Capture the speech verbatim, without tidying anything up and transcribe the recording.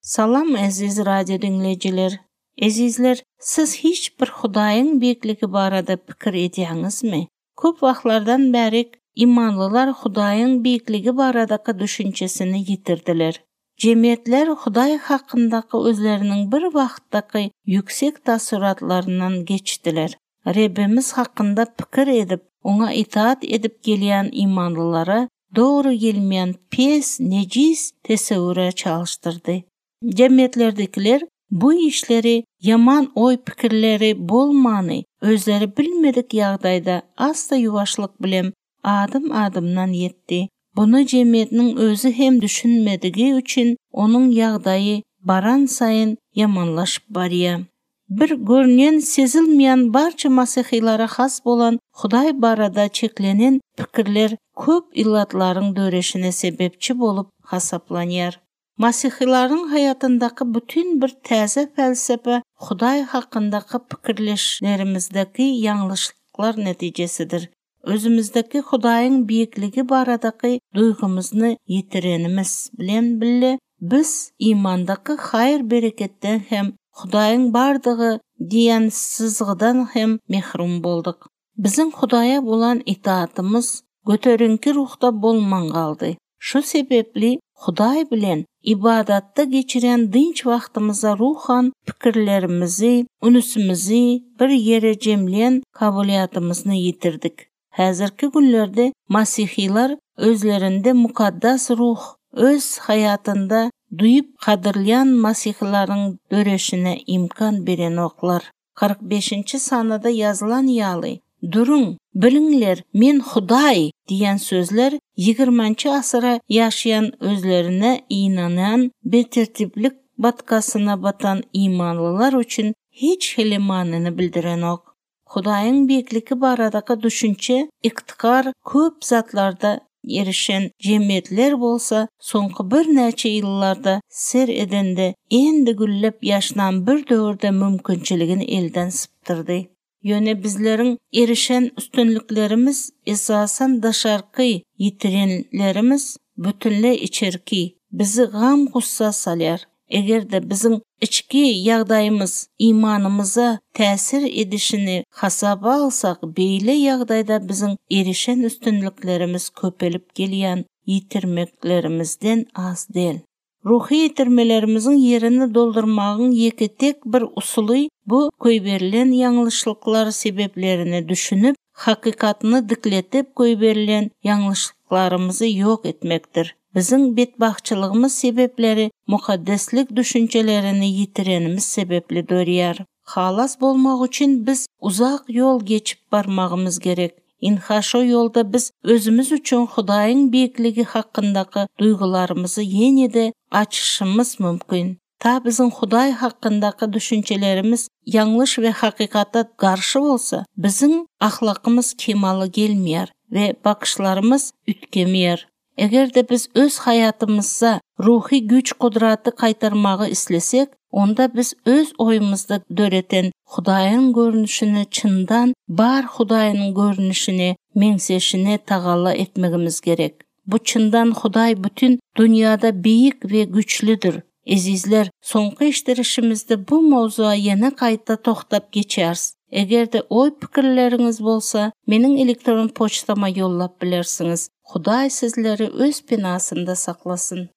Salam eziz radio diňleýjiler. Ezizler, siz hiç bir Hudaýyň beýikligi barada pikir edýäňizmi? Köp wagtlardan bäri imanlylar Hudaýyň beýikligi baradaky düşünjesini ýitirdiler. Jemgyýetler Hudaý hakyndaky özleriniň bir wagtdaky ýüksek tassuratlaryndan geçdiler. Rebbimiz hakynda pikir edip, oňa itaat edip gelýän imanlylara dogry gelmeýän pes, nejis tesewwüre çalyşdyrdy. Jemgyýetlerdekiler bu işleri ýaman oý-pikirleri bolmany, özleri bilmedik ýagdaýda asta ýuwaşlyk bilen adım-adymdan ýetdi. Bunu jemgyýetiniň özi hem düşünmedigi üçin onuň ýagdaýy baran saýyn ýamanlaşyp barýar. Bir görünýän sezilmeýän barça masihilara has bolan Hudaý barada çeklenen pikirler köp illatlaryň döreşine sebäpçi bolup hasaplanýar. Masihilaryň hayatyndaky bütün bir täze felsefe Hudaý hakyndaky pikirleşlerimizdäki ýalňyşlyklar netijesidir. Özümizdäki Hudaýyň beýikligi baradaky duýgymyzy ýitirenimiz bilen bile biz imandaky haýyr bereketden hem Hudaýyň bardygy diýen syzgydan hem mehrum bolduk. Biziň Hudaýa bolan itaatymyz göteriňki ruhda bolman galdy. Şu sebäpli Hudaý bilen ibadatda geçiren dynç wagtymyzda ruhan pikirlerimizi, ünsümizi bir ýere jemleýän kabiliýatymyzy ýitirdik. Häzirki günlerde masihiler özlerinde mukaddes ruh öz hayatynda duýup gadyrlaýan masihilaryň döreşine imkan berenoklar. kyrk beşinji sanada ýazylan ýaly, Duruň, biliňler, men Hudaý diýen sözler ýigriminji asyra ýaşaýan özlerine inanan betertiplik batgasyna batan imanlylar üçin hiç hili manyny bildirenok. Hudaýyň beýikligi baradaky düşünje iktikar köp zatlarda erişen jemgyýetler bolsa soňky birnäçe ýyllarda ser edende endi güllep ýaşnan bir döwürde mümkinçiligini elden sypdyrdy. Ýöne bizleriň erişen üstünliklerimiz esasan daşarky ýitirenlerimiz bütünle içerki bizi gam gussa salýar. Eger-de biziň içki ýagdaýymyz imanymyza täsir edişini hasaba alsak, beýle ýagdaýda biziň erişen üstünliklerimiz köpelip gelýän ýitirmeklerimizden az däl. Ruhy ýitirmelerimiziň ýerini doldurmagyň ýeke tek bir usuly bu goýberilen ýalňyşlyklar sebäplerini düşünip, hakykatyny dikletip goýberilen ýalňyşlyklarymyzy ýok etmekdir. Biziň betbagtçylygymyz sebäpleri mukaddeslik düşünjelerini ýitirenimiz sebäpli dörýär. Halas bolmak üçin biz uzak ýol geçip barmagymyz gerek. Inha şo ýolda biz özümiz üçin Hudaýyň beýikligi hakyndaky duýgularymyzy ýene-de açyşymyz mümkin. Ta biziň Hudaý hakyndaky düşünjelerimiz ýalňyş we hakykata garşy bolsa, biziň ahlakymyz kemala gelmeýär we bakyşlarymyz üýtgemeýär. Eger-de biz öz hayatymyzda ruhy güýç gudraty gaýtarmagy islesek, onda biz öz oýumyzda döreten Hudaýyň görnüşini çyndan bar Hudaýyň görnüşine meňzeşine tagalla etmegimiz gerek. Bu çyndan Hudaý bütün dünýäde beýik we güýçlüdir. Ezizler, soňky işdirişimizde bu mowzuğa ýene gaýta tohtap geçeris. Eger-de oý pikirleriňiz bolsa, meniň elektron poçtama ýollap bilersiňiz. Hudaý sizleri öz penasynda saklasyn.